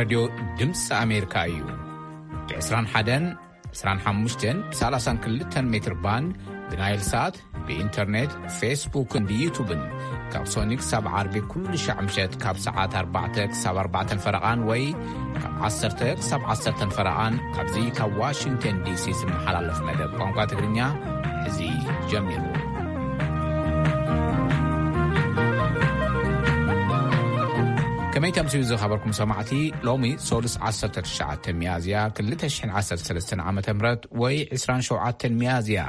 ሬድዮ ድምፂ ኣሜሪካ እዩ። ብ21፣ 25፣ ብ32 ሜትር ባንድ፣ ብናይል ሳት፣ ብኢንተርኔት፣ ፌስቡክን ብዩቱብን ካብ ሶኒ ክሳብ ዓርቢ ኩሉ ሻዕ ምሸት ካብ ሰዓት ኣርባዕተ ክሳብ ኣርባዕተን ፈረቓን ወይ ካብ ዓሰርተ ክሳብ ዓሰርተን ፈረቓን ካብዚ ካብ ዋሽንግተን ዲሲ ዝመሓላለፍ መደብ ቋንቋ ትግርኛ እዚ ጀሚሩ። ከመይ ተምስዩ ዝኸበርኩም ሰማዕቲ፣ ሎሚ ሶሉስ ዓሰርተ ትሽዓተ ሚያዝያ ክልተ ሽሕን ዓሰርተ ሰለስተን ዓመተ ምህረት ወይ ዕስራን ሸውዓተን ሚያዝያ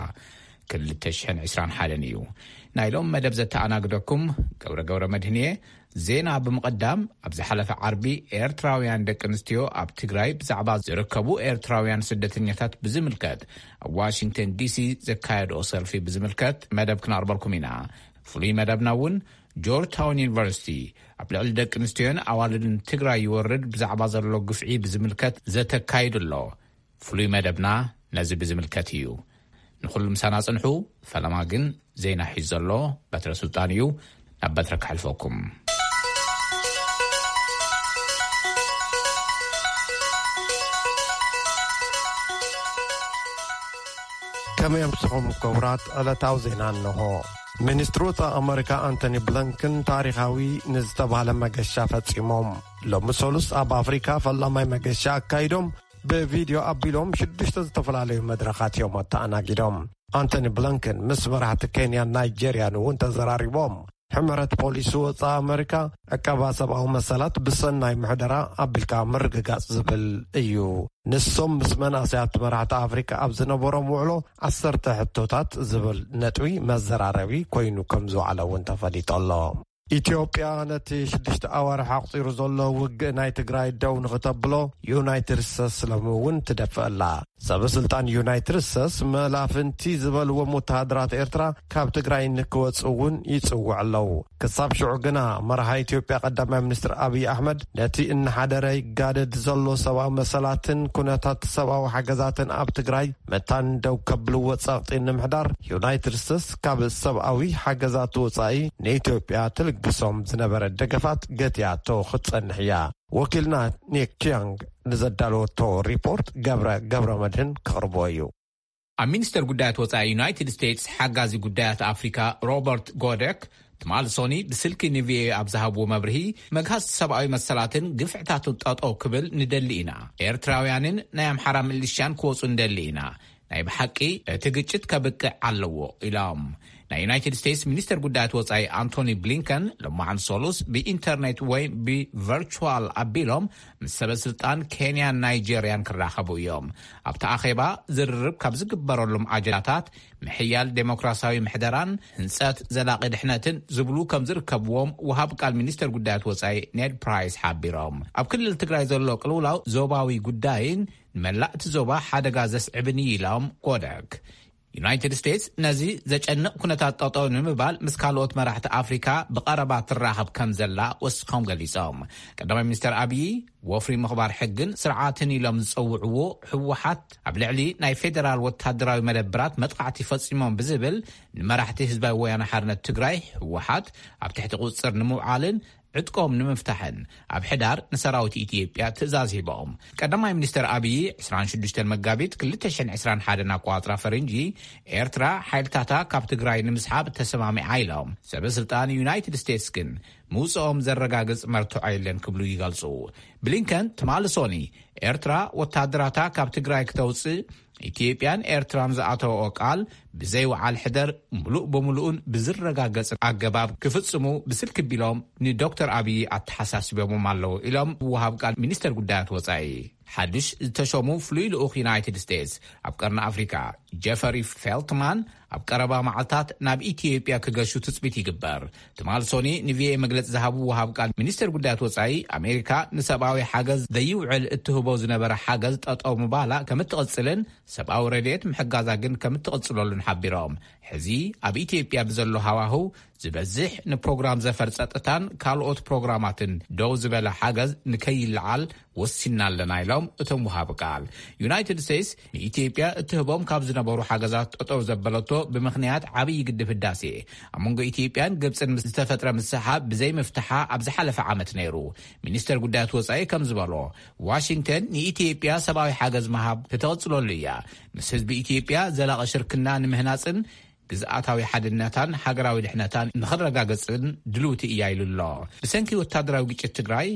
ክልተ ሽሕን ዕስራን ሓደን እዩ። ናይ ሎም መደብ ዘተኣናግደኩም ገብረ ገብረ መድህንየ። ዜና ብምቕዳም፣ ኣብ ዝሓለፈ ዓርቢ ኤርትራውያን ደቂ ኣንስትዮ ኣብ ትግራይ ብዛዕባ ዝርከቡ ኤርትራውያን ስደተኛታት ብዝምልከት ኣብ ዋሽንግተን ዲሲ ዘካየድኦ ሰልፊ ብዝምልከት መደብ ክነቕርበልኩም ኢና። ፍሉይ መደብና እውን ጆርጅ ታውን ዩኒቨርሲቲ ኣብ ልዕሊ ደቂ ኣንስትዮን ኣዋልድን ትግራይ ይወርድ ብዛዕባ ዘሎ ግፍዒ ብዝምልከት ዘተካይዱ ኣሎ። ፍሉይ መደብና ነዚ ብዝምልከት እዩ። ንኹሉ ምሳና ጽንሑ። ፈለማ ግን ዜና ሒዙ ዘሎ በትረ ስልጣን እዩ። ናብ በትረ ከሕልፈኩም። ከመይ ኣምስኹም ክቡራት? ዕለታዊ ዜና እንሆ። ሚኒስትሪ ወጻኢ ኣመሪካ ኣንቶኒ ብሊንከን ታሪኻዊ ንዝተባህለ መገሻ ፈጺሞም። ሎሚ ሰሉስ ኣብ ኣፍሪካ ፈላማይ መገሻ ኣካይዶም ብቪድዮ ኣቢሎም ሽዱሽተ ዝተፈላለዩ መድረኻት እዮም ኣተኣናጊዶም። ኣንቶኒ ብሊንከን ምስ መራሕቲ ኬንያን ናይጄርያን እውን ተዘራሪቦም። ሕመረት ፖሊሲ ወጻኢ ኣመሪካ ዕቀባ ሰብኣዊ መሰላት ብሰናይ ምሕደራ ኣቢልካ ምርግጋጽ ዝብል እዩ። ንሶም ምስ መናእሰያት መራሕቲ ኣፍሪካ ኣብ ዝነበሮም ውዕሎ ዓሰርተ ሕቶታት ዝብል ነጥቢ መዘራረቢ ኮይኑ ከም ዝወዓለ እውን ተፈሊጡ ኣሎ። ኢትዮጵያ ነቲ ሽዱሽተ ኣዋርሕ ኣቑጺሩ ዘሎ ውግእ ናይ ትግራይ ደው ንኽተብሎ ዩናይትድ ስቴትስ ሎሚ እውን ትደፍእ ኣላ። ሰበ ስልጣን ዩናይትድ ስቴትስ መላፍንቲ ዝበልዎም ወተሃደራት ኤርትራ ካብ ትግራይ ንክወጽኡ እውን ይጽውዕ ኣለዉ። ክሳብ ሽዑ ግና መርሃ ኢትዮጵያ ቀዳማይ ሚኒስትር ኣብይ ኣሕመድ ነቲ እናሓደረ ይጋደድ ዘሎ ሰብኣዊ መሰላትን ኩነታት ሰብኣዊ ሓገዛትን ኣብ ትግራይ መታን ደው ከብልዎ ጸቕጢ ንምሕዳር ዩናይትድ ስቴትስ ካብ ሰብኣዊ ሓገዛት ወጻኢ ንኢትዮጵያ ትልግሶም ዝነበረ ደገፋት ገቲኣቶ ክትጸንሕ እያ። ወኪልና ኒክ ኪያንግ ንዘዳለወቶ ሪፖርት ገብረ ገብረ መድህን ከቕርቦ እዩ። ኣብ ሚኒስተር ጉዳያት ወጻኢ ዩናይትድ ስቴትስ ሓጋዚ ጉዳያት ኣፍሪካ ሮበርት ጎደክ ትማሊ ሶኒ ብስልኪ ንቪኦኤ ኣብ ዝሃብዎ መብርሂ፣ መግሃስ ሰብኣዊ መሰላትን ግፍዕታትን ጠጠው ክብል ንደሊ ኢና። ኤርትራውያንን ናይ ኣምሓራ ምልሻን ክወጹ ንደሊ ኢና። ናይ ብሓቂ እቲ ግጭት ከብቅዕ ኣለዎ ኢሎም። ናይ ዩናይትድ ስቴትስ ሚኒስተር ጉዳያት ወጻኢ ኣንቶኒ ብሊንከን ሎማዓን ሶሉስ ብኢንተርኔት ወይ ብቨርቹዋል ኣቢሎም ምስ ሰበ ስልጣን ኬንያን ናይጄርያን ክራኸቡ እዮም። ኣብቲ ኣኼባ ዝርርብ ካብ ዝግበረሎም ኣጀንዳታት ምሕያል ዴሞክራሲያዊ ምሕደራን ህንጸት ዘላቒ ድሕነትን ዝብሉ ከም ዝርከብዎም ወሃብ ቃል ሚኒስተር ጉዳያት ወጻኢ ኔድ ፕራይስ ሓቢሮም። ኣብ ክልል ትግራይ ዘሎ ቅልውላው ዞባዊ ጉዳይን ንመላእ እቲ ዞባ ሓደጋ ዘስዕብን እዩ ኢሎም ጎደክ። ዩናይትድ ስቴትስ ነዚ ዘጨንቕ ኩነታት ጠጠው ንምባል ምስ ካልኦት መራሕቲ ኣፍሪካ ብቐረባ ትራኸብ ከም ዘላ ወሲኾም ገሊጾም። ቀዳማይ ሚኒስተር ኣብዪ ወፍሪ ምኽባር ሕግን ስርዓትን ኢሎም ዝጸውዕዎ ህወሓት ኣብ ልዕሊ ናይ ፌዴራል ወታደራዊ መደብራት መጥቃዕቲ ፈጺሞም ብዝብል ንመራሕቲ ህዝባዊ ወያነ ሓርነት ትግራይ ህወሓት ኣብ ትሕቲ ቁጽጽር ንምውዓልን ዕጥቆም ንምፍታሕን ኣብ ሕዳር ንሰራዊት ኢትዮጵያ ትእዛዝ ሂቦም። ቀዳማይ ሚኒስተር ኣብዪ ዕስራን ሽዱሽተን መጋቢት ክልተ ሽሕን ዕስራን ሓደን ኣቆጻጽራ ፈረንጂ ኤርትራ ሓይልታታ ካብ ትግራይ ንምስሓብ ተሰማሚዓ ኢሎም። ሰበ ስልጣን ዩናይትድ ስቴትስ ግን ምውፅኦም ዘረጋግፅ መርትዖ የለን ክብሉ ይገልፁ። ብሊንከን ትማሊ ሶኒ ኤርትራ ወታደራታ ካብ ትግራይ ክተውፅእ ኢትዮጵያን ኤርትራን ዝኣተወኦ ቃል ብዘይ ወዓል ሕደር ምሉእ ብምሉኡን ብዝረጋገጽ ኣገባብ ክፍጽሙ ብስልኪ ቢሎም ንዶክተር ኣብዪ ኣተሓሳስቦምዎም ኣለዉ ኢሎም ወሃብ ቃል ሚኒስተር ጉዳያት ወጻኢ። ሓድሽ ዝተሾሙ ፍሉይ ልኡኽ ዩናይትድ ስቴትስ ኣብ ቀርኒ ኣፍሪካ ጀፈሪ ፌልትማን ኣብ ቀረባ መዓልታት ናብ ኢትዮጵያ ክገሹ ትጽቢት ይግበር። ትማል ሶኒ ንቪኦኤ መግለጺ ዝሃቡ ወሃብ ቃል ሚኒስተር ጉዳያት ወጻኢ ኣሜሪካ ንሰብኣዊ ሓገዝ ዘይውዕል እትህቦ ዝነበረ ሓገዝ ጠጠው ምባላ ከም እትቕጽልን ሰብኣዊ ረድኤት ምሕጋዛ ግን ከም እትቕጽለሉን ሓቢሮም። ሕዚ ኣብ ኢትዮጵያ ብዘሎ ሃዋህው ዝበዝሕ ንፕሮግራም ዘፈር ጸጥታን ካልኦት ፕሮግራማትን ደው ዝበለ ሓገዝ ንከይለዓል ወሲና ኣለና ኢሎም። እቶም ወሃቢ ቃል። ዩናይትድ ስቴትስ ንኢትዮጵያ እትህቦም ካብ ዝነበሩ ሓገዛት ጠጠው ዘበለቶ ብምኽንያት ዓብዪ ግድብ ህዳሴ፣ ኣብ መንጎ ኢትዮጵያን ግብፅን ምስ ዝተፈጥረ ምስሓብ ብዘይ ምፍትሓ ኣብ ዝሓለፈ ዓመት ነይሩ። ሚኒስተር ጉዳያት ወፃኢ ከም ዝበሎ፣ ዋሽንግተን ንኢትዮጵያ ሰብኣዊ ሓገዝ ምሃብ ክትቕፅለሉ እያ። ምስ ህዝቢ ኢትዮጵያ ዘላቒ ሽርክና ንምህናፅን ግዝኣታዊ ሓድነታን ሃገራዊ ድሕነታን ንኽረጋገፅን ድልውቲ እያ ኢሉ ኣሎ። ብሰንኪ ወታደራዊ ግጭት ትግራይ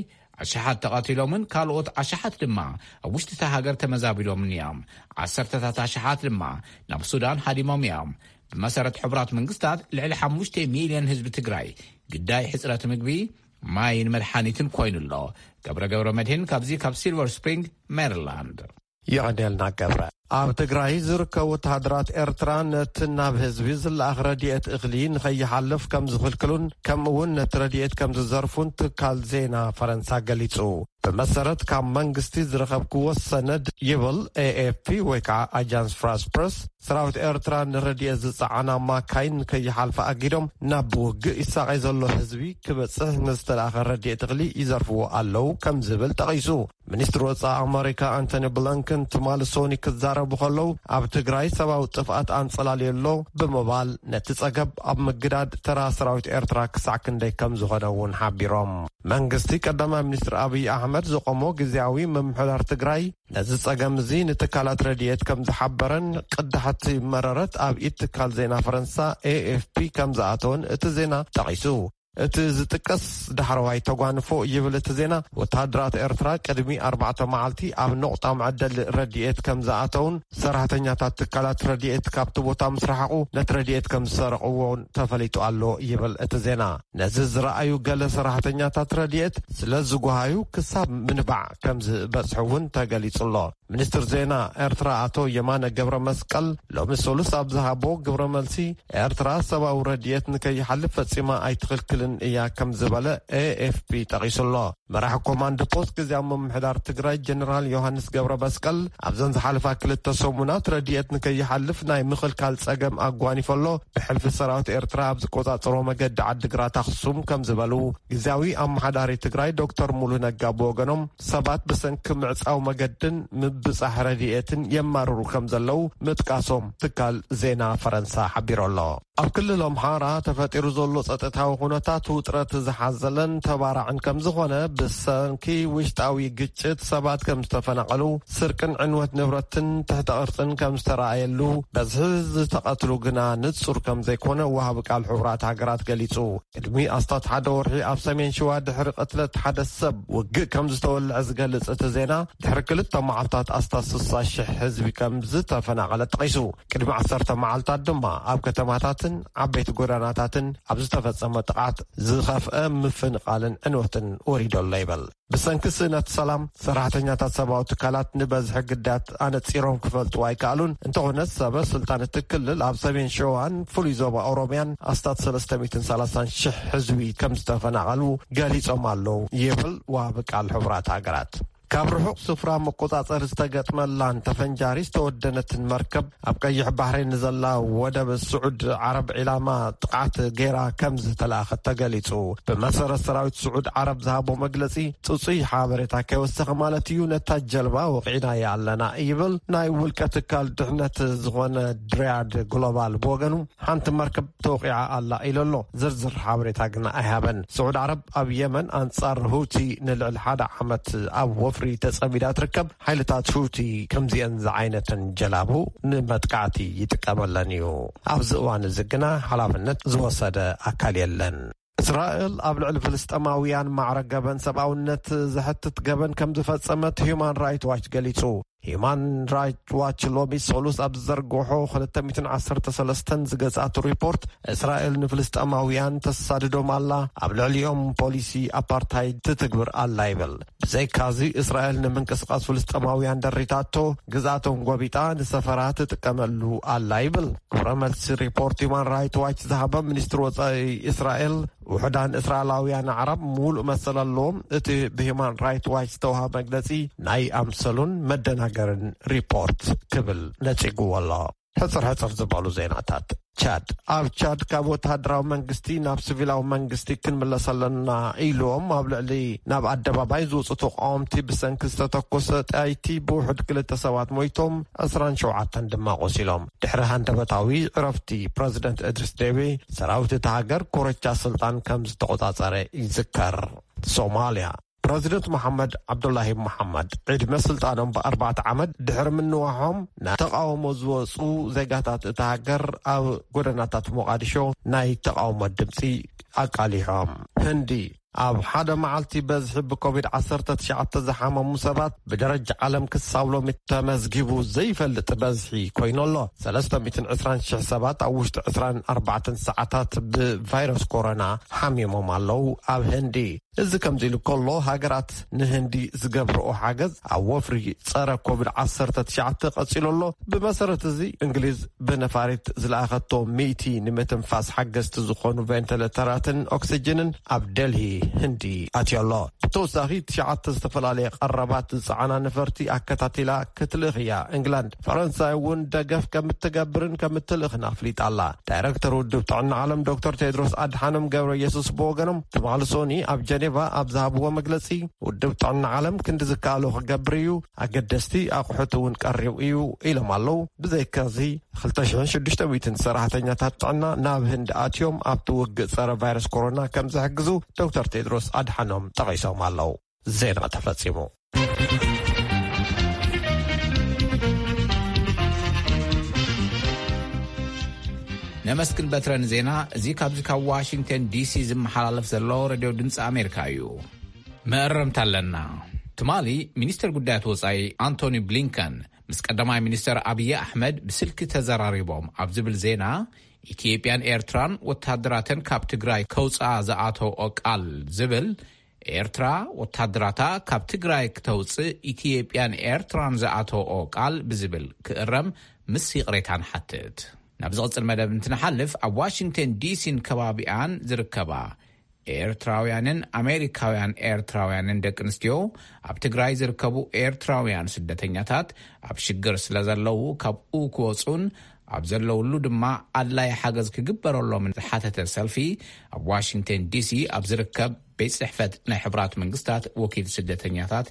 ኣሽሓት ተቐቲሎምን ካልኦት ኣሽሓት ድማ ኣብ ውሽጢ እታ ሃገር ተመዛቢሎምን እዮም። ዓሰርተታት ኣሽሓት ድማ ናብ ሱዳን ሃዲሞም እዮም። ብመሰረት ሕቡራት መንግስታት፣ ልዕሊ ሓሙሽተ ሚልዮን ህዝቢ ትግራይ ግዳይ ሕፅረት ምግቢ፣ ማይን መድሓኒትን ኮይኑ ኣሎ። ገብረ ገብረ መድህን ካብዚ ካብ ሲልቨር ስፕሪንግ ሜሪላንድ። የቐንየልና ገብረ። ኣብ ትግራይ ዝርከቡ ወተሃደራት ኤርትራ ነቲ ናብ ህዝቢ ዝለኣኽ ረድኤት እኽሊ ንኸይሓልፍ ከም ዝኽልክሉን ከምኡ እውን ነቲ ረድኤት ከም ዝዘርፉን ትካል ዜና ፈረንሳ ገሊጹ። ብመሰረት ካብ መንግስቲ ዝረኸብክዎ ሰነድ ይብል ኤኤፍፒ ወይ ከዓ ኣጃንስ ፍራንስ ፕረስ፣ ሰራዊት ኤርትራ ንረድኤት ዝጸዓና ማካይን ንከይሓልፋ ኣጊዶም ናብ ውግእ ይሳቐይ ዘሎ ህዝቢ ክበጽሕ ንዝተላእኸ ረድኤት እኽሊ ይዘርፍዎ ኣለዉ ከም ዝብል ጠቒሱ። ሚኒስትሪ ወጻኢ ኣመሪካ ኣንቶኒ ብሊንከን ትማሊ ሶኒ ክዛረቡ ከለዉ፣ ኣብ ትግራይ ሰብኣዊ ጥፍኣት ኣንጸላልዩ ኣሎ ብምባል፣ ነቲ ጸገብ ኣብ ምግዳድ ተራ ሰራዊት ኤርትራ ክሳዕ ክንደይ ከም ዝኾነ እውን ሓቢሮም። መንግስቲ ቀዳማይ ሚኒስትር ኣብይ ኣሕመድ ዘቆሞ ግዝያዊ ምምሕዳር ትግራይ ነዚ ጸገም እዚ ንትካላት ረድኤት ከም ዝሓበረን ቅዳሕቲ መረረት ኣብ ኢድ ትካል ዜና ፈረንሳ ኤኤፍፒ ከም ዝኣተወን እቲ ዜና ጠቒሱ። እቲ ዝጥቀስ ዳሕረዋይ ተጓንፎ ይብል እቲ ዜና፣ ወተሃደራት ኤርትራ ቅድሚ ኣርባዕተ መዓልቲ ኣብ ነቑጣ መዐደሊ ረድኤት ከም ዝኣተውን ሰራሕተኛታት ትካላት ረድኤት ካብቲ ቦታ ምስ ረሓቑ ነቲ ረድኤት ከም ዝሰረቕዎን ተፈሊጡ ኣሎ ይብል እቲ ዜና። ነዚ ዝረኣዩ ገለ ሰራሕተኛታት ረድኤት ስለ ዝጓሃዩ ክሳብ ምንባዕ ከም ዝበጽሑ እውን ተገሊጹ ኣሎ። ሚኒስትር ዜና ኤርትራ ኣቶ የማነ ገብረ መስቀል ሎሚ ሰሉስ ኣብ ዝሃቦ ግብረ መልሲ፣ ኤርትራ ሰብኣዊ ረድኤት ንከይሓልፍ ፈጺማ ኣይትኽልክልን እያ ከም ዝበለ ኤኤፍፒ ጠቒሱ ኣሎ። መራሒ ኮማንድ ፖስት ግዝያዊ ምምሕዳር ትግራይ ጀነራል ዮሃንስ ገብረ መስቀል ኣብዘን ዝሓለፋ ክልተ ሰሙናት ረድኤት ንከይሓልፍ ናይ ምኽልካል ጸገም ኣጓኒፎ ኣሎ። ብሕልፊ ሰራዊት ኤርትራ ኣብ ዝቆጻጸሮ መገዲ ዓዲግራት ኣኽሱም ከም ዝበሉ ግዝያዊ ኣመሓዳሪ ትግራይ ዶክተር ሙሉ ነጋ ብወገኖም ሰባት ብሰንኪ ምዕጻው መገድን ምብጻሕ ረድኤትን የማርሩ ከም ዘለዉ ምጥቃሶም ትካል ዜና ፈረንሳ ሓቢሩ ኣሎ። ኣብ ክልል ኣምሓራ ተፈጢሩ ዘሎ ጸጥታዊ ኩነታት ውጥረት ዝሓዘለን ተባራዕን ከም ዝኾነ፣ ብሰንኪ ውሽጣዊ ግጭት ሰባት ከም ዝተፈናቐሉ፣ ስርቅን ዕንወት ንብረትን ትሕተ ቅርጽን ከም ዝተረኣየሉ፣ በዝሒ ዝተቐትሉ ግና ንጹር ከም ዘይኮነ ወሃቢ ቃል ሕቡራት ሃገራት ገሊጹ። ቅድሚ ኣስታት ሓደ ወርሒ ኣብ ሰሜን ሸዋ ድሕሪ ቅትለት ሓደ ሰብ ውግእ ከም ዝተወልዐ ዝገልጽ እቲ ዜና፣ ድሕሪ ክልተ መዓልታት ኣስታት ስሳ ሽሕ ህዝቢ ከም ዝተፈናቐለ ጠቒሱ። ቅድሚ ዓሰርተ መዓልታት ድማ ኣብ ከተማታትን ዓበይቲ ጎዳናታትን ኣብ ዝተፈጸመ ጥቓት ዝኸፍአ ምፍንቓልን ዕንወትን ወሪዶ ኣሎ ይብል። ብሰንኪ ስእነት ሰላም፣ ሰራሕተኛታት ሰብኣዊ ትካላት ንበዝሒ ግዳያት ኣነጺሮም ክፈልጡ ኣይከኣሉን። እንተኾነ፣ ሰበ ስልጣን እቲ ክልል ኣብ ሰሜን ሸዋን ፍሉይ ዞባ ኦሮምያን ኣስታት ሰለስተ ሚእትን ሰላሳን ሽሕ ህዝቢ ከም ዝተፈናቐሉ ገሊጾም ኣለዉ ይብል ወሃቢ ቃል ሕቡራት ሃገራት። ካብ ርሑቕ ስፍራ መቆጻጸሪ ዝተገጥመላን ተፈንጃሪ ዝተወደነትን መርከብ ኣብ ቀይሕ ባሕሪ ንዘላ ወደብ ስዑድ ዓረብ ዒላማ ጥቕዓት ገይራ ከም ዝተላእኸት ተገሊጹ። ብመሰረት ሰራዊት ስዑድ ዓረብ ዝሃቦ መግለጺ፣ ጽጹይ ሓበሬታ ከይወሰኸ ማለት እዩ፣ ነታ ጀልባ ወቒዕናያ ኣለና ይብል። ናይ ውልቀ ትካል ድሕነት ዝኾነ ድሪያድ ግሎባል ብወገኑ፣ ሓንቲ መርከብ ተወቒዓ ኣላ ኢሉ ኣሎ። ዝርዝር ሓበሬታ ግና ኣይሃበን። ስዑድ ዓረብ ኣብ የመን ኣንጻር ሁቲ ንልዕሊ ሓደ ዓመት ኣብ ወፍሪ ተጸሚዳ ትርከብ። ሓይልታት ሁቲ ከምዚአን ዝዓይነተን ጀላቡ ንመጥቃዕቲ ይጥቀመለን እዩ። ኣብዚ እዋን እዚ ግና ሓላፍነት ዝወሰደ ኣካል የለን። እስራኤል ኣብ ልዕሊ ፍልስጤማውያን ማዕረ ገበን ሰብኣውነት ዘሕትት ገበን ከም ዝፈጸመት ሂዩማን ራይት ዋች ገሊጹ። ሂዩማን ራይት ዋች ሎሚ ሰሉስ ኣብ ዝዘርግሖ ክልተ ሚእትን ዓሰርተ ሰለስተን ዝገዝኣቱ ሪፖርት፣ እስራኤል ንፍልስጤማውያን ተሳድዶም ኣላ፣ ኣብ ልዕሊኦም ፖሊሲ ኣፓርታይድ ትትግብር ኣላ ይብል። ብዘይካዚ፣ እስራኤል ንምንቅስቃስ ፍልስጤማውያን ደሪታቶ፣ ግዝኣቶም ጎቢጣ ንሰፈራ ትጥቀመሉ ኣላ ይብል። ግብረ መልሲ ሪፖርት ሂዩማን ራይት ዋች ዝሃበ ሚኒስትሪ ወጻኢ እስራኤል፣ ውሑዳን እስራኤላውያን ኣዕራብ ምሉእ መሰል ኣለዎም፣ እቲ ብሂዩማን ራይት ዋች ዝተዋህበ መግለጺ ናይ ኣምሰሉን መደናገርን ሪፖርት ክብል ነጺግዎ ኣሎ። ሕጽር ሕጽር ዝበሉ ዜናታት። ቻድ። ኣብ ቻድ ካብ ወተሃደራዊ መንግስቲ ናብ ሲቪላዊ መንግስቲ ክንምለስ ኣለና ኢሎም ኣብ ልዕሊ ናብ ኣደባባይ ዝወጹ ተቃወምቲ ብሰንኪ ዝተተኮሰ ጠያይቲ ብውሑድ ክልተ ሰባት ሞይቶም፣ ዕስራን ሸውዓተን ድማ ቆሲሎም። ድሕሪ ሃንደበታዊ ዕረፍቲ ፕረዚደንት እድሪስ ዴቢ፣ ሰራዊት እታ ሃገር ኮረቻ ስልጣን ከም ዝተቆጻጸረ ይዝከር። ሶማልያ። ፕረዚደንት መሓመድ ዓብዱላሂ መሓመድ ዕድመ ስልጣኖም ብኣርባዕተ ዓመት ድሕሪ ምንዋሖም፣ ናብ ተቃውሞ ዝወጹ ዜጋታት እታ ሃገር ኣብ ጎደናታት ሞቃዲሾ ናይ ተቃውሞ ድምጺ ኣቃሊሖም። ህንዲ። ኣብ ሓደ መዓልቲ በዝሒ ብኮቪድ ዓሰርተ ትሽዓተ ዝሓመሙ ሰባት ብደረጃ ዓለም ክሳብ ሎሚ ተመዝጊቡ ዘይፈልጥ በዝሒ ኮይኑ ኣሎ። ሰለስተ ሚእትን ዕስራን ሽሕ ሰባት ኣብ ውሽጢ ዕስራን ኣርባዕተን ሰዓታት ብቫይረስ ኮሮና ሓሚሞም ኣለዉ። ኣብ ህንዲ። እዚ ከምዚ ኢሉ ከሎ፣ ሃገራት ንህንዲ ዝገብርኦ ሓገዝ ኣብ ወፍሪ ጸረ ኮቪድ ዓሰርተ ትሽዓተ ቀጺሉ ኣሎ። ብመሰረት እዚ፣ እንግሊዝ ብነፋሪት ዝለኣኸቶ ሚእቲ ንምትንፋስ ሓገዝቲ ዝኾኑ ቬንቲሌተራትን ኦክሲጅንን ኣብ ደልሂ ህንዲ ኣትዮ ኣሎ። ብተወሳኺ፣ ትሽዓተ ዝተፈላለየ ቀረባት ዝጸዓና ነፈርቲ ኣከታቲላ ክትልእኽ እያ። እንግላንድ፣ ፈረንሳይ እውን ደገፍ ከም እትገብርን ከም እትልእኽን ኣፍሊጣ ኣላ። ዳይረክተር ውድብ ጥዕና ዓለም ዶክተር ቴድሮስ ኣድሓኖም ገብረ ኢየሱስ ብወገኖም፣ ትማሊ ሶኒ ኣብ ጀኔቫ ኣብ ዝሃብዎ መግለጺ፣ ውድብ ጥዕና ዓለም ክንዲ ዝከኣሎ ክገብር እዩ፣ ኣገደስቲ ኣቑሑት እውን ቀሪቡ እዩ ኢሎም ኣለዉ። ብዘይካዚ፣ ክልተ ሽሕን ሽዱሽተ ሚእትን ሰራሕተኛታት ጥዕና ናብ ህንዲ ኣትዮም ኣብቲ ውግእ ጸረ ቫይረስ ኮሮና ከም ዝሕግዙ ዶክተር ቴድሮስ ኣድሓኖም ጠቒሶም ኣለዉ። ዜና ተፈጺሙ። ነመስግን በትረ ንዜና። እዚ ካብዚ ካብ ዋሽንግተን ዲሲ ዝመሓላለፍ ዘሎ ሬድዮ ድምፂ ኣሜሪካ እዩ። መእረምታ ኣለና። ትማሊ ሚኒስተር ጉዳያት ወጻኢ ኣንቶኒ ብሊንከን ምስ ቀዳማይ ሚኒስተር ኣብይ ኣሕመድ ብስልኪ ተዘራሪቦም ኣብ ዝብል ዜና፣ ኢትዮጵያን ኤርትራን ወታደራተን ካብ ትግራይ ከውፅኣ ዝኣተወኦ ቃል ዝብል፣ ኤርትራ ወታደራታ ካብ ትግራይ ክተውፅእ ኢትዮጵያን ኤርትራን ዝኣተወኦ ቃል ብዝብል ክእረም ምስ ይቕሬታ ንሓትት። ናብ ዝቕጽል መደብ እንትንሓልፍ፣ ኣብ ዋሽንግተን ዲሲን ከባቢኣን ዝርከባ ኤርትራውያንን ኣሜሪካውያን ኤርትራውያንን ደቂ ኣንስትዮ፣ ኣብ ትግራይ ዝርከቡ ኤርትራውያን ስደተኛታት ኣብ ሽግር ስለ ዘለዉ፣ ካብኡ ክወጹን ኣብ ዘለውሉ ድማ ኣድላይ ሓገዝ ክግበረሎምን ዝሓተተ ሰልፊ፣ ኣብ ዋሽንግተን ዲሲ ኣብ ዝርከብ ቤት ጽሕፈት ናይ ሕቡራት መንግስታት ወኪል ስደተኛታት፣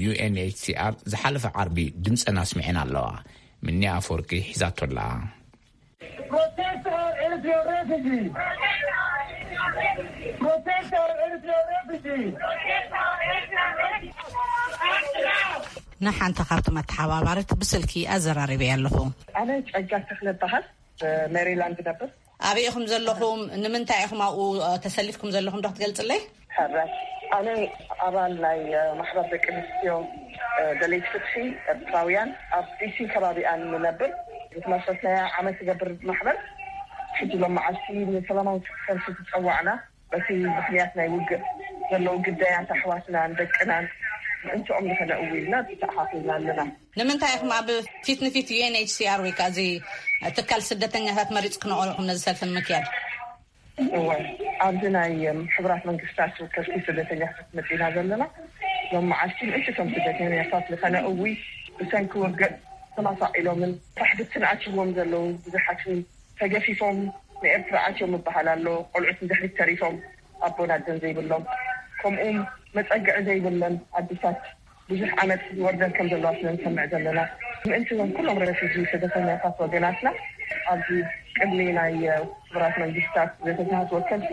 ዩ ኤን ኤች ሲ ኣር፣ ዝሓለፈ ዓርቢ ድምጸን ኣስሚዐን ኣለዋ። ምኒ ኣፈወርቂ ሒዛቶ ኣላ። Protect our Eritrean refugees. Protect our Eritrean refugees. ንሓንቲ ካብቲ መተሓባባሪት ብስልኪ ኣዘራሪበያ ኣለኹ። ኣነ ጸጋ ተኽለ እበሃል። ሜሪላንድ ነብር። ኣበይ ኢኹም ዘለኹም? ንምንታይ ኢኹም ኣብኡ፣ እ፣ ተሰሊፍኩም ዘለኹም ዶ ክትገልጽለይ? ሕራይ። ኣነ ኣባል ናይ፣ እ፣ ማሕበር ደቂ ኣንስትዮ፣ እ፣ ደለይቲ ፍትሒ ኤርትራውያን ኣብ ዲሲ ከባቢኣን ንነብር። ዝተመስረትናያ ዓመት ዝገብር ማሕበር፣ ሕጂ ሎም መዓልቲ ንሰላማዊ ሰልፊ ዝጸዋዕና፣ በቲ ምኽንያት ናይ ውግእ ዘለዉ ግዳያት ኣሕዋትናን ደቅናን ምእንትኦም ንኸነእዊ ኢልና ተተኣኻኺብና ኣለና። ንምንታይ ኢኹም ኣብ ፊት ንፊት ዩ ኤን ኤች ሲ ኣር ወይ ከኣ እዚ ትካል ስደተኛታት መሪጽ ክነቕረኹም ነዚ ሰልፊ ንምክያድ? እወ፣ ኣብዚ ናይ፣ እም፣ ሕቡራት መንግስታት ወከልቲ ስደተኛታት መጺና ዘለና። ሎም መዓልቲ ምእንቲ እቶም ስደተኛታት ንኸነእዊ ብሰንኪ ውግእ ተማሳቒሎምን ሳሕድትን ኣትይዎም ዘለዉ ብዙሓትን ተገፊፎም ንኤርትራ ኣትዮም ምበሃል ኣሎ። ቆልዑት ንድሕሪት ተሪፎም ኣቦን ኣደን ዘይብሎም፣ ከምኡውን መጸግዒ ዘይብለን ኣዲታት ብዙሕ ዓመት ዝወርደን ከም ዘለዋ ስለ ንሰምዕ ዘለና፣ ምእንቲ እዞም ኩሎም ረፊጂ ስደተኛታት ወገናትና ኣብዚ ቅድሚ ናይ፣ እ፣ ሕቡራት መንግስታት ዘተታት ወከልቲ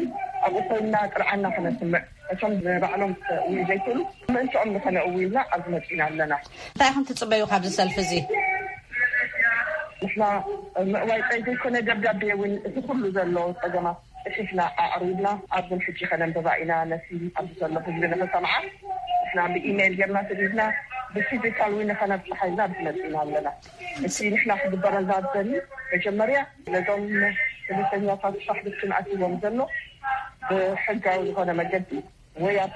ኣብኡ ኮይንና ጥርዓና ከነስምዕ፣ እቶም ንባዕሎም ክእውዩ ዘይክእሉ ምእንትኦም ንኸነእዊ ኢልና ኣብዚ መጺና ኣለና። እንታይ ኢኹም ትጽበዩ ካብዚ ሰልፊ እዚ? ንሕና ምእዋይ ጥራይ ዘይኮነ ደብዳቤ እውን እቲ ኩሉ ዘሎ ጸገማት ጽሒፍና ኣቕሪብና ኣብዘን ሕጂ ከነንብባ ኢና። ነቲ ኣብዚ ዘሎ ህዝቢ ንኽሰምዓ ንሕና ብኢሜይል ጌርና ሰዲድና ብፊዚካል እውን ንኸነብጽሓ ኢልና ኣብዚ መጺና ኣለና። እቲ ንሕና ክግበረልና ዝደሊ መጀመርያ ነዞም ስደተኛታት ሳሕድትን ኣትይዎም ዘሎ ብሕጋዊ ዝኾነ መገዲ ወይ ኣብ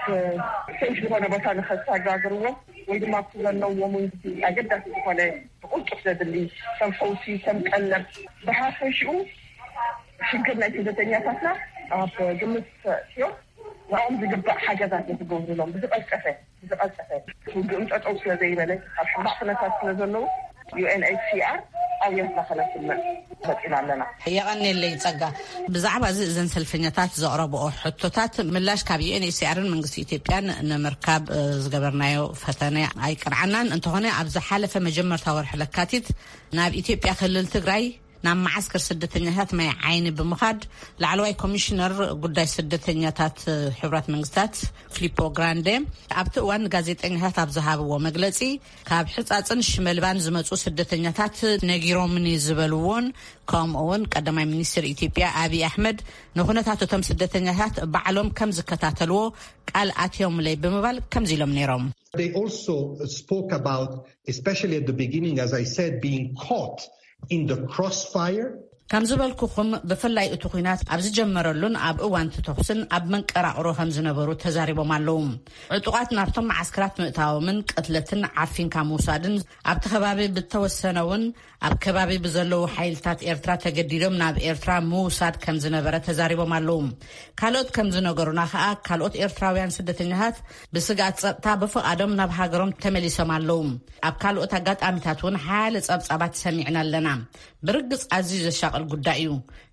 ሴፍ ዝኾነ ቦታ ንኸሰጋግርዎም ወይ ድማ ኣብቲ ዘለዎም እውን ኣገዳሲ ዝኾነ ብቕልጡፍ ዘድሊ ከም ፈውሲ፣ ከም ቀለብ፣ ብሓፈሽኡ ሽግር ናይ ስደተኛታትና ኣብ ግምት ኣእትዮም ንዕኦም ዝግባእ ሓገዛት ንክገብሩሎም ብዝቐልጠፈ፣ ብዝቐልጠፈ ውግእም ጠጠው ስለ ዘይበለ ኣብ ሕማቕ ኩነታት ስለ ዘለዉ ዩ ኤን ኤች ሲ ኣር ኣየት ናኸለስና መፂና ኣለና። የቐኔለይ ጸጋ። ብዛዕባ እዚ እዘን ሰልፈኛታት ዘቕረብኦ ሕቶታት ምላሽ ካብ ዩኤንኤችሲኣርን መንግስቲ ኢትዮጵያን ንምርካብ ዝገበርናዮ ፈተነ ኣይቀንዓናን። እንተኾነ ኣብ ዝሓለፈ መጀመርታ ወርሒ ለካቲት ናብ ኢትዮጵያ ክልል ትግራይ ናብ መዓስከር ስደተኛታት ማይ ዓይኒ ብምኻድ ላዕለዋይ ኮሚሽነር ጉዳይ ስደተኛታት ሕቡራት መንግስታት ፊሊፖ ግራንዴ ኣብቲ እዋን ጋዜጠኛታት ኣብ ዝሃብዎ መግለጺ፣ ካብ ሕጻጽን ሽመልባን ዝመጹ ስደተኛታት ነጊሮምኒ ዝበልዎን፣ ከምኡ እውን ቀዳማይ ሚኒስትር ኢትዮጵያ ኣብይ ኣሕመድ ንኹነታት እቶም ስደተኛታት ባዕሎም ከም ዝከታተልዎ ቃል ኣትዮምለይ ብምባል ከምዚ ኢሎም ነይሮም። They also spoke about, especially at the beginning, as I said, being caught in the crossfire. ከም ዝበልኩኹም፣ ብፍላይ እቲ ኲናት ኣብ ዝጀመረሉን ኣብ እዋን እቲ ተኹስን ኣብ መንቀራቕሮ ከም ዝነበሩ ተዛሪቦም ኣለዉ። ዕጡቓት ናብቶም መዓስከራት ምእታዎምን ቅትለትን ዓፊንካ ምውሳድን፣ ኣብቲ ከባቢ ብተወሰነ እውን ኣብ ከባቢ ብዘለዉ ሓይልታት ኤርትራ ተገዲዶም ናብ ኤርትራ ምውሳድ ከም ዝነበረ ተዛሪቦም ኣለዉ። ካልኦት ከም ዝነገሩና ከኣ፣ ካልኦት ኤርትራውያን ስደተኛታት ብስግኣት ጸጥታ ብፍቓዶም ናብ ሃገሮም ተመሊሶም ኣለዉ። ኣብ ካልኦት ኣጋጣሚታት እውን ሓያለ ጸብጻባት ሰሚዕና ኣለና። ብርግጽ ኣዝዩ ዘሻቕል ጉዳይ እዩ።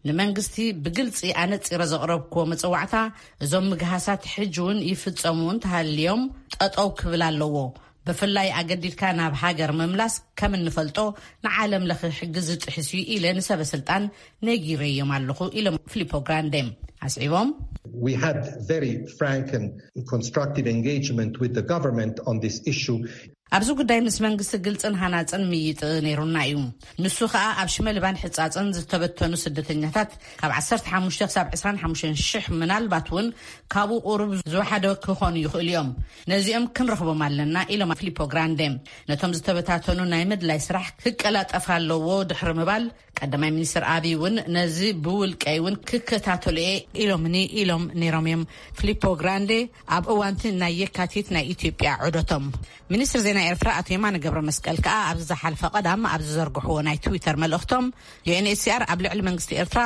ንመንግስቲ ብግልጺ ኣነጺረ ዘቕረብክዎ መጸዋዕታ፣ እዞም ምግሃሳት ሕጂ እውን ይፍጸሙ እንተሃልዮም ጠጠው ክብል ኣለዎ። ብፍላይ ኣገዲድካ ናብ ሃገር ምምላስ ከም እንፈልጦ ንዓለም ለኸ ሕጊ ዝጥሕስ እዩ ኢለ ንሰበ ስልጣን ነጊረዮም ኣለኹ ኢሎም ፊሊፖ ግራንዴ ኣስዒቦም። We had very frank and constructive engagement with the government on this issue. ኣብዚ ጉዳይ ምስ መንግስቲ ግልጽን ሃናጽን ምይጥ ነይሩና እዩ። ንሱ ኸኣ ኣብ ሽመልባን ሕጻጽን ዝተበተኑ ስደተኛታት ካብ ዓሰርተ ሓሙሽተ ክሳብ ዕስራን ሓሙሽተን ሽሕ፣ ምናልባት እውን ካብኡ ቁሩብ ዝወሓደ ክኾኑ ይኽእሉ እዮም። ነዚኦም ክንረኽቦም ኣለና ኢሎም ፊሊፖ ግራንዴ። ነቶም ዝተበታተኑ ናይ ምድላይ ስራሕ ክቀላጠፍ ኣለዎ ድሕሪ ምባል፣ ቀዳማይ ሚኒስትር ኣቢይ እውን ነዚ ብውልቀይ እውን ክከታተሉ እየ ኢሎምኒ ኢሎም ነይሮም እዮም ፊሊፖ ግራንዴ ኣብ እዋንቲ ናይ የካቲት ናይ ኢትዮጵያ ዑደቶም። ሚኒስትር ዜና ኤርትራ ኣቶ የማነ ገብረ መስቀል ከኣ ኣብዚ ዝሓለፈ ቀዳም ኣብ ዝዘርግሕዎ ናይ ትዊተር መልእኽቶም፣ ዩኤንኤችሲኣር ኣብ ልዕሊ መንግስቲ ኤርትራ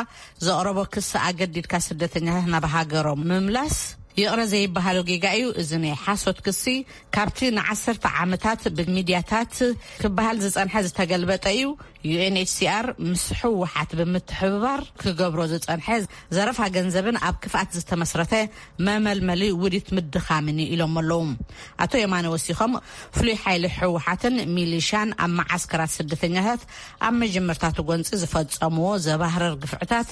ዘቕረቦ ክሲ ኣገዲድካ ስደተኛታት ናብ ሃገሮም ምምላስ ይቕረ ዘይበሃሎ ጌጋ እዩ። እዚ ናይ ሓሶት ክሲ ካብቲ ንዓሰርተ ዓመታት ብሚድያታት ክበሃል ዝጸንሐ ዝተገልበጠ እዩ። ዩኤንኤችሲኣር ምስ ህወሓት ብምትሕብባር ክገብሮ ዝጸንሐ ዘረፋ ገንዘብን ኣብ ክፍኣት ዝተመስረተ መመልመሊ ውዲት ምድኻምን እዩ ኢሎም ኣለዉ። ኣቶ የማነ ወሲኾም፣ ፍሉይ ሓይሊ ህወሓትን ሚሊሻን ኣብ መዓስከራት ስደተኛታት ኣብ መጀመርታቱ ጎንፂ ዝፈጸምዎ ዘባህረር ግፍዕታት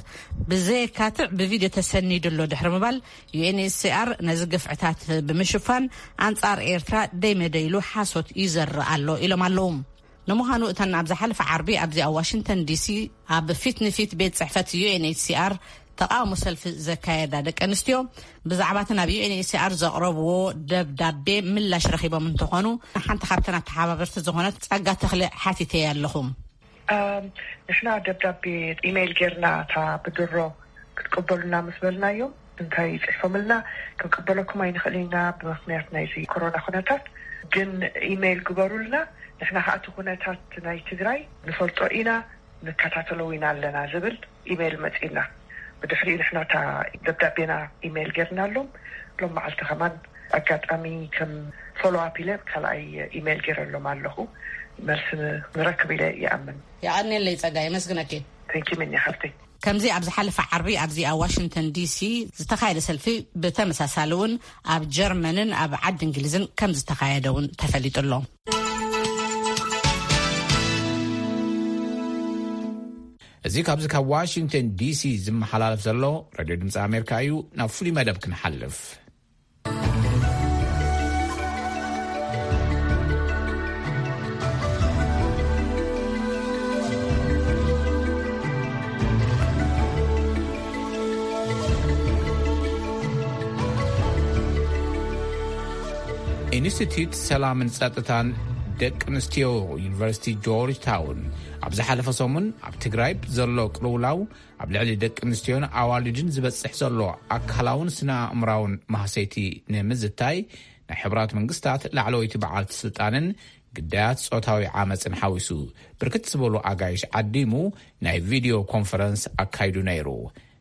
ብዘየካትዕ ብቪድዮ ተሰኒዱ ኣሎ ድሕሪ ምባል፣ ዩኤንኤችሲኣር ነዚ ግፍዕታት ብምሽፋን ኣንጻር ኤርትራ ደይመደይሉ ሓሶት ይዘርእ ኣሎ ኢሎም ኣለዉ። ንምዃኑ እተን ኣብ ዝሓለፈ ዓርቢ ኣብዚ ኣብ ዋሽንግተን ዲሲ ኣብ ፊት ንፊት ቤት ጽሕፈት ዩኤንኤችሲኣር ተቓውሞ ሰልፊ ዘካየዳ ደቂ ኣንስትዮ ብዛዕባ እቲ ናብ ዩኤንኤችሲኣር ዘቕረብዎ ደብዳቤ ምላሽ ረኺቦም እንተኾኑ፣ ሓንቲ ካብተን ኣተሓባበርቲ ዝኾነት ጸጋ ተኽለ ሓቲተያ ኣለኹ። ኣም፣ ንሕና ደብዳቤ ኢሜይል ጌርና እታ ብድሮ ክትቀበሉና ምስ በልናዮም፣ እንታይ ጽሒፎምልና፣ ክንቅበለኩም ኣይንኽእል ኢና ብምኽንያት ናይዚ ኮሮና ኩነታት፣ ግን ኢሜይል ግበሩልና፣ ንሕና ከኣ እቲ ኩነታት ናይ ትግራይ ንፈልጦ ኢና፣ ንከታተሎ ኢና ኣለና ዝብል ኢሜይል መጺእና። ብድሕሪኡ ንሕና እታ ደብዳቤና ኢሜይል ጌርናሎም። ሎም መዓልቲ ከማን ኣጋጣሚ ከም ፎሎ ኣፕ ኢለ ካልኣይ ኢሜይል ጌረሎም ኣለኹ። መልሲ ንረክብ ኢለ ይኣምን። የቐንየለይ ጸጋ፣ የመስግነኪ። ተንኪ ምኒ ሓፍተይ። ከምዚ ኣብ ዝሓለፈ ዓርቢ ኣብዚ ኣብ ዋሽንግተን ዲሲ ዝተኻየደ ሰልፊ፣ ብተመሳሳሊ እውን ኣብ ጀርመንን ኣብ ዓዲ እንግሊዝን ከም ዝተኻየደ እውን ተፈሊጡ ኣሎ። እዚ ካብዚ ካብ ዋሽንግተን ዲሲ ዝመሓላለፍ ዘሎ ሬድዮ ድምፂ ኣሜሪካ እዩ። ናብ ፍሉይ መደብ ክንሓልፍ። ኢንስቲትዩት ሰላምን ጸጥታን ደቂ ኣንስትዮ ዩኒቨርሲቲ ጆርጅ ታውን ኣብ ዝሓለፈ ሰሙን ኣብ ትግራይ ዘሎ ቅልውላው ኣብ ልዕሊ ደቂ ኣንስትዮን ኣዋልድን ዝበጽሕ ዘሎ ኣካላውን ስነ ኣእምራውን ማህሰይቲ ንምዝታይ፣ ናይ ሕቡራት መንግስታት ላዕለወይቲ በዓልቲ ስልጣንን ግዳያት ጾታዊ ዓመጽን ሓዊሱ ብርክት ዝበሉ ኣጋይሽ ዓዲሙ ናይ ቪድዮ ኮንፈረንስ ኣካይዱ ነይሩ።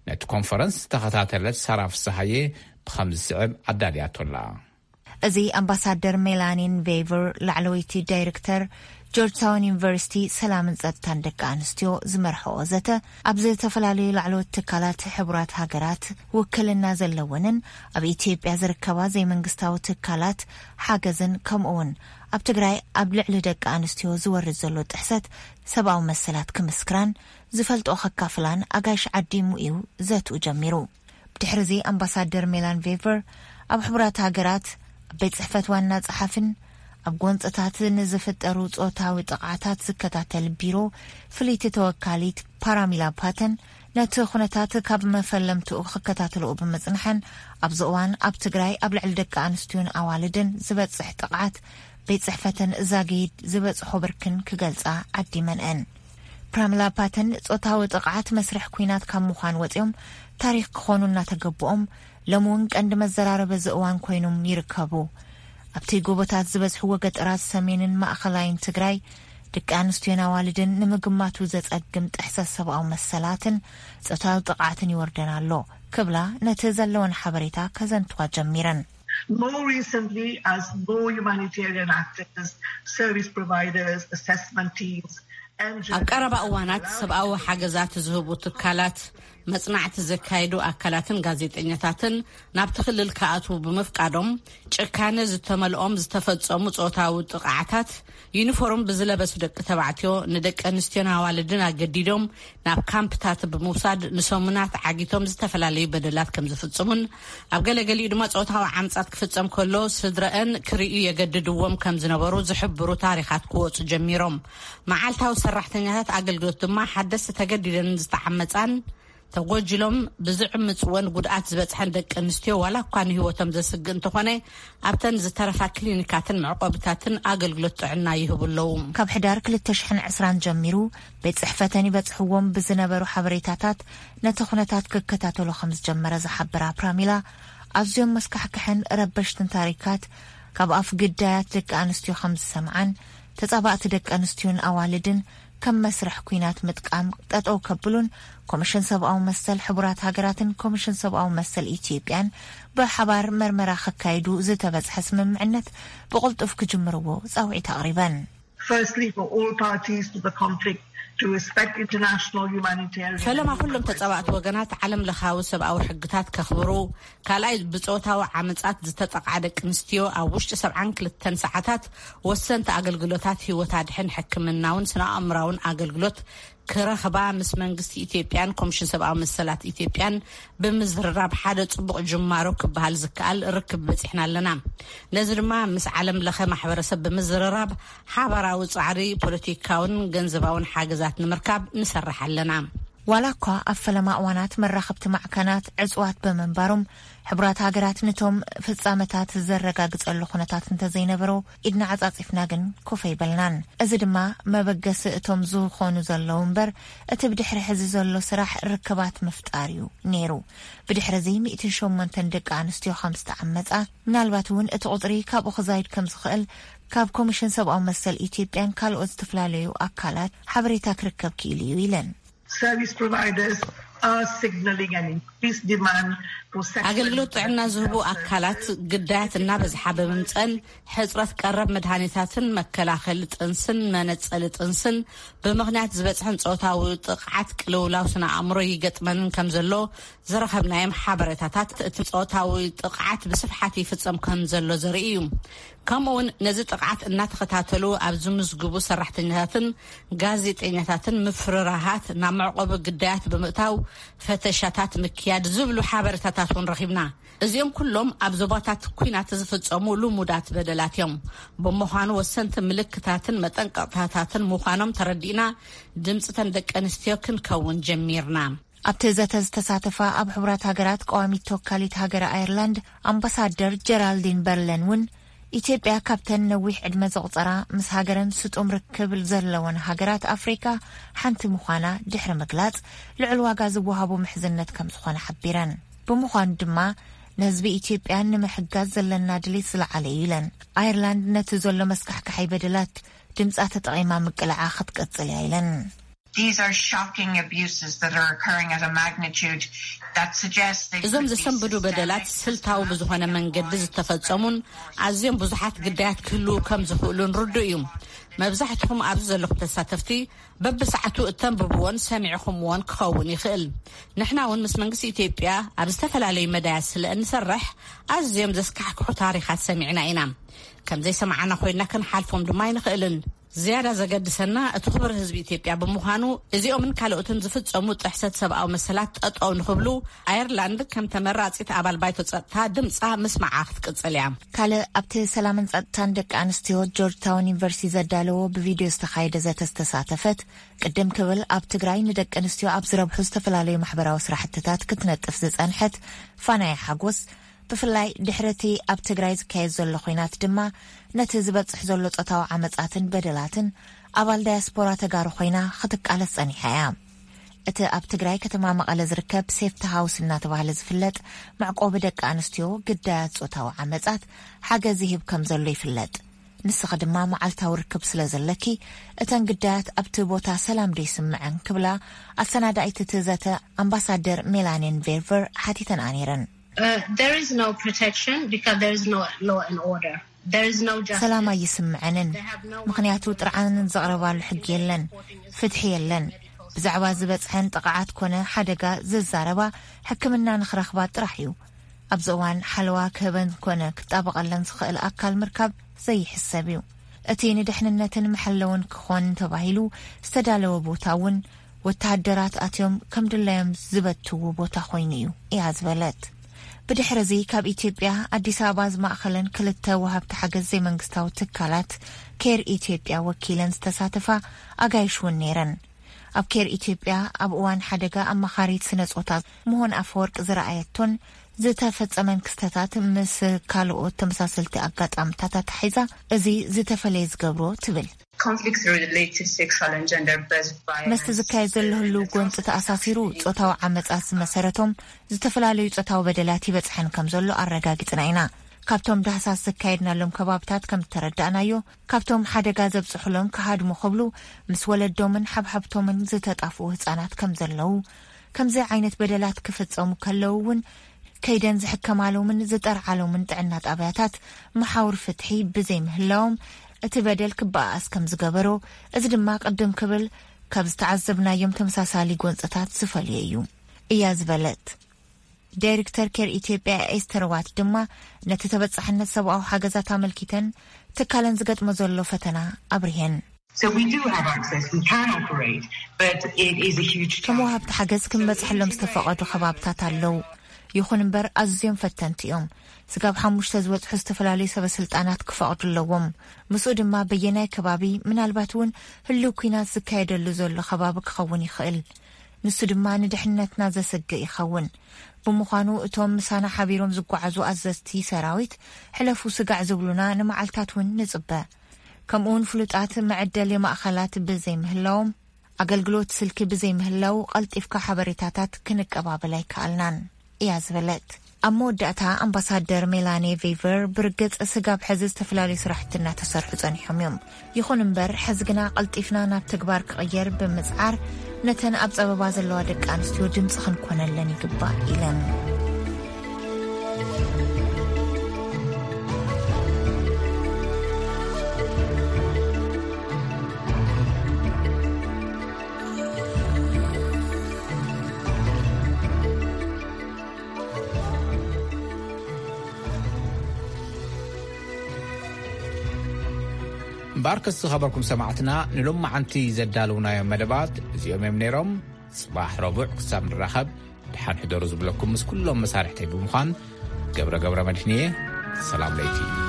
ነቲ ኮንፈረንስ ዝተኸታተለት ሳራ ፍስሃየ ብኸም ዝስዕብ ኣዳልያቶላ። እዚ ኣምባሳደር ሜላኒን ቬቨር፣ ላዕለወይቲ ዳይሬክተር ጆርጅታውን ዩኒቨርሲቲ ሰላምን ጸጥታን ደቂ ኣንስትዮ ዝመርሐኦ ዘተ፣ ኣብ ዝተፈላለዩ ላዕለዎት ትካላት ሕቡራት ሃገራት ውክልና ዘለወንን ኣብ ኢትዮጵያ ዝርከባ ዘይመንግስታዊ ትካላት ሓገዝን፣ ከምኡውን ኣብ ትግራይ ኣብ ልዕሊ ደቂ ኣንስትዮ ዝወርድ ዘሎ ጥሕሰት ሰብኣዊ መሰላት ክምስክራን ዝፈልጦ ከካፍላን ኣጋይሽ ዓዲሙ እዩ ዘትኡ ጀሚሩ። ብድሕርዚ ኣምባሳደር ሜላን ቬቨር ኣብ ሕቡራት ሃገራት ኣብ ቤት ጽሕፈት ዋና ጸሓፍን ኣብ ጎንጽታት ንዝፍጠሩ ጾታዊ ጥቕዓታት ዝከታተል ቢሮ ፍልይቲ ተወካሊት ፓራሚላ ፓተን፣ ነቲ ኩነታት ካብ መፈለምትኡ ክከታተልኡ ብምጽንሐን፣ ኣብዚ እዋን ኣብ ትግራይ ኣብ ልዕሊ ደቂ ኣንስትዮን ኣዋልድን ዝበጽሕ ጥቕዓት ቤት ጽሕፈተን ዛጊድ ዝበጽሖ ብርክን ክገልጻ ዓዲመንአን። ፕራሚላ ፓተን፣ ጾታዊ ጥቕዓት መስርሕ ኲናት ካብ ምዃን ወጺኦም ታሪኽ ክኾኑ እናተገብኦም፣ ሎም እውን ቀንዲ መዘራረቢ እዚ እዋን ኮይኖም ይርከቡ። ኣብቲ ጎቦታት ዝበዝሕዎ ገጠራት ሰሜንን ማእኸላይን ትግራይ፣ ደቂ ኣንስትዮን ኣዋልድን ንምግማቱ ዘጸግም ጥሕሰት ሰብኣዊ መሰላትን ጾታዊ ጥቕዓትን ይወርደን ኣሎ ክብላ፣ ነቲ ዘለወን ሓበሬታ ከዘንትዋ ጀሚረን። More recently, as more humanitarian actors, service providers, assessment teams, and ኣብ ቀረባ እዋናት ሰብኣዊ ሓገዛት ዝህቡ ትካላት፣ መጽናዕቲ ዘካየዱ ኣካላትን ጋዜጠኛታትን ናብቲ ክልል ክኣትዉ ብምፍቃዶም፣ ጭካነ ዝተመልኦም ዝተፈጸሙ ጾታዊ ጥቕዓታት፣ ዩኒፎርም ብዝለበሱ ደቂ ተባዕትዮ ንደቂ ኣንስትዮን ኣዋልድን ኣገዲዶም ናብ ካምፕታት ብምውሳድ ንሰሙናት ዓጊቶም ዝተፈላለዩ በደላት ከም ዝፍጽሙን፣ ኣብ ገለገሊኡ ድማ ጾታዊ ዓምጻት ክፍጸም ከሎ ስድረአን ክርእዩ የገድድዎም ከም ዝነበሩ ዝሕብሩ ታሪኻት ክወጹ ጀሚሮም። መዓልታዊ ሰራሕተኛታት ኣገልግሎት ድማ ሓደስቲ ተገዲደን ዝተዓመጻን ተጎጅሎም ብዝዕምጽወን ጉድኣት ዝበጽሐን ደቂ ኣንስትዮ ዋላ እኳ ንህይወቶም ዘስግእ እንተኾነ፣ ኣብተን ዝተረፋ ክሊኒካትን መዕቆብታትን ኣገልግሎት ጥዕና ይህቡ ኣለዉ። ካብ ሕዳር ክልተ ሽሕን ዕስራን ጀሚሩ ቤት ጽሕፈተን ይበጽሕዎም ብዝነበሩ ሓበሬታታት ነቲ ኩነታት ክከታተሎ ከም ዝጀመረ ዝሓበራ ፕራሚላ፣ ኣዝዮም መስካሕክሕን ረበሽትን ታሪካት ካብ ኣፍ ግዳያት ደቂ ኣንስትዮ ከም ዝሰምዓን፣ ተጻባእቲ ደቂ ኣንስትዮን ኣዋልድን ከም መስርሕ ኲናት ምጥቃም ጠጠው ከብሉን፣ ኮሚሽን ሰብኣዊ መሰል ሕቡራት ሃገራትን ኮሚሽን ሰብኣዊ መሰል ኢትዮጵያን ብሓባር መርመራ ከካይዱ ዝተበጽሐ ስምምዕነት ብቕልጡፍ ክጅምርዎ ጻውዒት ኣቕሪበን። Firstly, for all parties to the conflict to respect international humanitarian ፈለማ ኩሎም ተጻባእቲ ወገናት ዓለም ለኻዊ ሰብኣዊ ሕግታት ከኽብሩ፣ ካልኣይ ብጾታዊ ዓመጻት ዝተጠቕዓ ደቂ ኣንስትዮ ኣብ ውሽጢ ሰብዓን ክልተን ሰዓታት ወሰንቲ ኣገልግሎታት ህይወት ኣድሕን ሕክምናውን ስነ ኣእምራውን ኣገልግሎት ክረኽባ ምስ መንግስቲ ኢትዮጵያን ኮሚሽን ሰብኣዊ መሰላት ኢትዮጵያን ብምዝርራብ ሓደ ጽቡቕ ጅማሮ ክበሃል ዝከኣል ርክብ በጺሕና ኣለና። ነዚ ድማ ምስ ዓለም ለኸ ማሕበረሰብ ብምዝርራብ ሓባራዊ ጻዕሪ ፖለቲካውን ገንዘባውን ሓገዛት ንምርካብ ንሰርሕ ኣለና። ዋላ እኳ ኣብ ፈለማ እዋናት መራኸብቲ ማዕከናት ዕጽዋት ብምንባሮም፣ ሕቡራት ሃገራት ነቶም ፍጻመታት ዘረጋግጸሉ ኩነታት እንተዘይነበሮ፣ ኢድና ዓጻጺፍና ግን ኮፍ ኣይበልናን። እዚ ድማ መበገሲ እቶም ዝኾኑ ዘለዉ እምበር፣ እቲ ብድሕሪ ሕዚ ዘሎ ስራሕ ርክባት ምፍጣር እዩ ነይሩ። ብድሕሪ እዚ ሚእትን ሸሞንተን ደቂ ኣንስትዮ ከም ዝተዓመጻ፣ ምናልባት እውን እቲ ቁጽሪ ካብኡ ክዛይድ ከም ዝኽእል ካብ ኮሚሽን ሰብኣዊ መሰል ኢትዮጵያን ካልኦት ዝተፈላለዩ ኣካላት ሓበሬታ ክርከብ ክኢሉ እዩ ኢለን። Service providers are signaling an increased demand for sexual ኣገልግሎት ጥዕና ዝህቡ ኣካላት ግዳያት እናበዝሓ ብምምፀን፣ ሕፅረት ቀረብ መድሃኒታትን መከላኸሊ ጥንስን መነፀሊ ጥንስን ብምኽንያት ዝበፅሐን ጾታዊ ጥቕዓት ቅልውላው ስነ ኣእምሮ ይገጥመንን ከም ዘሎ ዝረኸብናዮም ሓበሬታታት፣ እቲ ጾታዊ ጥቕዓት ብስፍሓት ይፍጸም ከም ዘሎ ዘርኢ እዩ። ከምኡ እውን ነዚ ጥቕዓት እናተኸታተሉ ኣብ ዝምዝግቡ ሰራሕተኛታትን ጋዜጠኛታትን ምፍርራሃት ናብ መዕቆቢ ግዳያት ብምእታው ፈተሻታት ምክያድ ዝብሉ ሓበሬታታት እውን ረኺብና። እዚኦም ኩሎም ኣብ ዞባታት ኲናት ዝፍጸሙ ልሙዳት በደላት እዮም። ብምዃኑ ወሰንቲ ምልክታትን መጠንቀቕታታትን ምዃኖም ተረዲእና ድምፅተን ደቂ ኣንስትዮ ክንከውን ጀሚርና። ኣብቲ ዘተ ዝተሳተፋ ኣብ ሕቡራት ሃገራት ቀዋሚት ተወካሊት ሃገረ ኣየርላንድ ኣምባሳደር ጀራልዲን በርለን እውን፣ ኢትዮጵያ ካብተን ነዊሕ ዕድመ ዘቑጸራ ምስ ሃገረን ስጡም ርክብ ዘለወን ሃገራት ኣፍሪካ ሓንቲ ምዃና ድሕሪ ምግላጽ፣ ልዑል ዋጋ ዝወሃቦ ምሕዝነት ከም ዝኾነ ሓቢረን። ብምዃኑ ድማ ንህዝቢ ኢትዮጵያ ንምሕጋዝ ዘለና ድሌት ዝለዓለ እዩ ኢለን። ኣየርላንድ ነቲ ዘሎ መስካሕካሓይ በደላት ድምጻ ተጠቒማ ምቅላዓ ክትቀጽል እያ ኢለን። These are shocking abuses that are occurring at a magnitude that suggests they እዞም could be ዘሰንብዱ በደላት systemic as ስልታዊ well ብዝኾነ as መንገዲ intertwined. ዝተፈጸሙን ኣዝዮም ብዙሓት ግዳያት ክህልዉ ከም ዝኽእሉን ርዱእ እዩ። መብዛሕትኹም ኣብዚ ዘለኹም ተሳተፍቲ በብሰዓቱ እተንብብዎን ሰሚዕኹምዎን ክኸውን ይኽእል። ንሕና እውን ምስ መንግስቲ ኢትዮጵያ ኣብ ዝተፈላለዩ መዳያት ስለ እንሰርሕ ኣዝዮም ዘስካሕክሑ ታሪኻት ሰሚዕና ኢና። ከም ዘይሰማዕና ኮይንና ክንሓልፎም ድማ ኣይንኽእልን። ዝያዳ ዘገድሰና እቲ ክቡር ህዝቢ ኢትዮጵያ ብምዃኑ እዚኦምን ካልኦትን ዝፍጸሙ ጥሕሰት ሰብኣዊ መሰላት ጠጠው ንኽብሉ ኣየርላንድ ከም ተመራጺት ኣባል ባይቶ ጸጥታ ድምጻ ምስማዓ ክትቅጽል እያ። ካልእ ኣብቲ ሰላምን ጸጥታን ደቂ ኣንስትዮ ጆርጅ ታውን ዩኒቨርሲቲ ዘዳለዎ ብቪድዮ ዝተኻየደ ዘተ ዝተሳተፈት ቅድም ክብል ኣብ ትግራይ ንደቂ ኣንስትዮ ኣብ ዝረብሑ ዝተፈላለዩ ማሕበራዊ ስራሕትታት ክትነጥፍ ዝጸንሐት ፋናያ ሓጎስ ብፍላይ ድሕሪ እቲ ኣብ ትግራይ ዝካየድ ዘሎ ኹናት ድማ ነቲ ዝበጽሕ ዘሎ ጾታዊ ዓመጻትን በደላትን ኣባል ዳያስፖራ ተጋሩ ኮይና ክትቃለስ ጸኒሓ እያ። እቲ ኣብ ትግራይ ከተማ መቐለ ዝርከብ ሴፍቲ ሃውስ እናተባህለ ዝፍለጥ መዕቆቢ ደቂ ኣንስትዮ ግዳያት ጾታዊ ዓመጻት ሓገዝ ይህብ ከም ዘሎ ይፍለጥ። ንስኺ ድማ መዓልታዊ ርክብ ስለ ዘለኪ እተን ግዳያት ኣብቲ ቦታ ሰላም ዶ ይስምዐን ክብላ ኣሰናዳኢት እቲ ዘተ ኣምባሳደር ሜላኒን ቬርቨር ሓቲተንኣ ነይረን። Uh, there is no protection because there is no law and order. There is no justice. ሰላም ኣይስምዐንን፣ ምኽንያቱ ጥርዓንን ዘቕረባሉ ሕጊ የለን፣ ፍትሒ የለን። ብዛዕባ ዝበጽሐን ጥቕዓት ኮነ ሓደጋ ዝዛረባ ሕክምና ንኽረኽባ ጥራሕ እዩ። ኣብዚ እዋን ሓለዋ ክህበን ኮነ ክጣበቐለን ዝኽእል ኣካል ምርካብ ዘይሕሰብ እዩ። እቲ ንድሕንነትን መሐለውን ክኾን ተባሂሉ ዝተዳለወ ቦታ እውን ወተሃደራት ኣትዮም ከም ድላዮም ዝበትዎ ቦታ ኮይኑ እዩ እያ ዝበለት። ብድሕሪ እዚ ካብ ኢትዮጵያ ኣዲስ ኣበባ ዝማእኸለን ክልተ ወሃብቲ ሓገዝ ዘይመንግስታዊ ትካላት ኬር ኢትዮጵያ ወኪለን ዝተሳተፋ ኣጋይሽ እውን ነይረን። ኣብ ኬር ኢትዮጵያ ኣብ እዋን ሓደጋ ኣማኻሪት ስነ ጾታ ምሆን ኣፈወርቅ ዝረኣየቶን ዝተፈጸመን ክስተታት ምስ ካልኦት ተመሳሰልቲ ኣጋጣምታት ኣታሒዛ እዚ ዝተፈለየ ዝገብሮ ትብል። Conflict related sexual and gender based violence. መስቲ ዝካየድ ዘሎ ህልው ጎንፂ ተኣሳሲሩ ጾታዊ ዓመፃት ዝመሰረቶም ዝተፈላለዩ ጾታዊ በደላት ይበፅሐን ከም ዘሎ ኣረጋጊፅና ኢና። ካብቶም ዳህሳስ ዘካየድናሎም ከባብታት ከም እተረዳእናዮ ካብቶም ሓደጋ ዘብፅሑሎም ክሃድሙ ክብሉ ምስ ወለዶምን ሓብሓብቶምን ዝተጣፍኡ ህፃናት ከም ዘለዉ፣ ከምዚ ዓይነት በደላት ክፍፀሙ ከለዉ እውን ከይደን ዝሕከማሎምን ዝጠርዓሎምን ጥዕና ጣብያታት መሓውር ፍትሒ ብዘይምህላዎም እቲ በደል ክበኣስ ከም ዝገበሮ፣ እዚ ድማ ቅድም ክብል ካብ ዝተዓዘብናዮም ተመሳሳሊ ጎንፅታት ዝፈልዮ እዩ እያ ዝበለት። ዳይሬክተር ኬር ኢትዮጵያ ኤስተር ዋት ድማ ነቲ ተበጻሕነት ሰብኣዊ ሓገዛት ኣመልኪተን ትካለን ዝገጥሞ ዘሎ ፈተና ኣብሪሀን። So we do have access, we can operate, but it is a huge ከም ወሃብቲ ሓገዝ ክንበጽሐሎም ዝተፈቐዱ ከባብታት ኣለዉ። ይኹን እምበር ኣዝዮም ፈተንቲ እዮም። ስጋብ ሓሙሽተ ዝበጽሑ ዝተፈላለዩ ሰበ ስልጣናት ክፈቕዱ ኣለዎም። ምስኡ ድማ በየናይ ከባቢ፣ ምናልባት እውን ህልው ኲናት ዝካየደሉ ዘሎ ከባቢ ክኸውን ይኽእል። ንሱ ድማ ንድሕነትና ዘሰግእ ይኸውን። ብምዃኑ እቶም ምሳና ሓቢሮም ዝጓዓዙ ኣዘዝቲ ሰራዊት ሕለፉ ስጋዕ ዝብሉና ንመዓልታት እውን ንጽበ። ከምኡውን ፍሉጣት መዐደሊ ማእኸላት ብዘይምህላዎም፣ ኣገልግሎት ስልኪ ብዘይምህላው ቀልጢፍካ ሓበሬታታት ክንቀባበል ኣይከኣልናን እያ ዝበለት። ኣብ መወዳእታ ኣምባሳደር ሜላኒ ቬቨር ብርግጽ ስጋብ ሕዚ ዝተፈላለዩ ስራሕቲ እናተሰርሑ ጸኒሖም እዮም። ይኹን እምበር ሕዚ ግና ቀልጢፍና ናብ ተግባር ክቕየር ብምጽዓር ነተን ኣብ ጸበባ ዘለዋ ደቂ ኣንስትዮ ድምፂ ክንኮነለን ይግባእ ኢለን። እምበኣርከስ ዝኸበርኩም ሰማዕትና ንሎማዓንቲ ዘዳለውናዮም መደባት እዚኦም እዮም ነይሮም። ጽባሕ ረቡዕ ክሳብ ንራኸብ ደሓን ሕደሩ ዝብለኩም ምስ ኩሎም መሳርሕተይ ብምዃን ገብረ ገብረ መድህን እየ። ሰላም ለይቲ።